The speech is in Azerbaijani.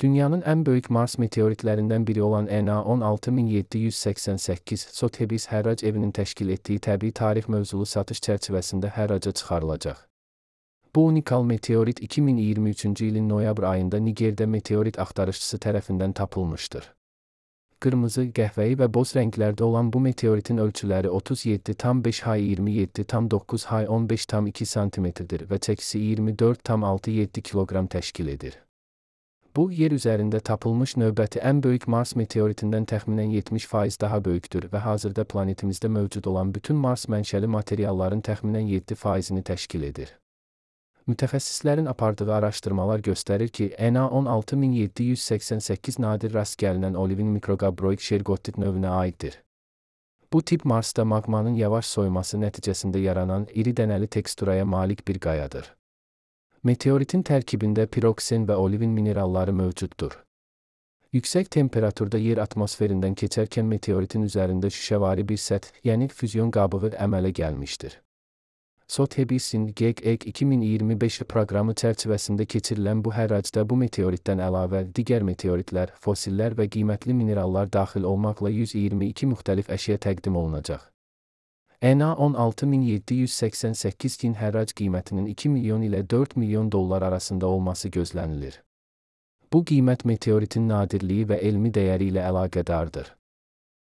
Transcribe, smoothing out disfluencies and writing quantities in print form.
Dünyanın ən böyük Mars meteoritlərindən biri olan NA-16788 Sotheby's hərrac evinin təşkil etdiyi təbii tarix mövzulu satış çərçivəsində hərraca çıxarılacaq. Bu unikal meteorit 2023-cü ilin noyabr ayında Nigerdə meteorit axtarışçısı tərəfindən tapılmışdır. Qırmızı, qəhvəyi və boz rənglərdə olan bu meteoritin ölçüləri 37,5 hay 27,9 hay 15,2 cm-dir və çəkisi 24,67 kiloqram təşkil edir. Bu, yer üzərində tapılmış növbəti ən böyük Mars meteoritindən təxminən 70% daha böyükdür və hazırda planetimizdə mövcud olan bütün Mars mənşəli materialların təxminən 7%-ni təşkil edir. Mütəxəssislərin apardığı araşdırmalar göstərir ki, NA-16788 nadir rast gəlinən olivin mikrogabroid şergottit növünə aiddir. Bu tip Marsda maqmanın yavaş soyuması nəticəsində yaranan iri dənəli teksturaya malik bir qayadır. Meteoritin tərkibində piroksen və olivin mineralları mövcuddur. Yüksək temperaturda yer atmosferindən keçərkən meteoritin üzərində şüşəvari bir səth, yəni füzyon qabığı əmələ gəlmişdir. Sotheby's-in GEG 2025 proqramı çərçivəsində keçirilən bu hərracda bu meteoritdən əlavə digər meteoritlər, fosillər və qiymətli minerallar daxil olmaqla 122 müxtəlif əşya təqdim olunacaq. NA-16788-in hərrac qiymətinin 2 milyon ilə 4 milyon dollar arasında olması gözlənilir. Bu qiymət meteoritin nadirliyi və elmi dəyəri ilə əlaqədardır.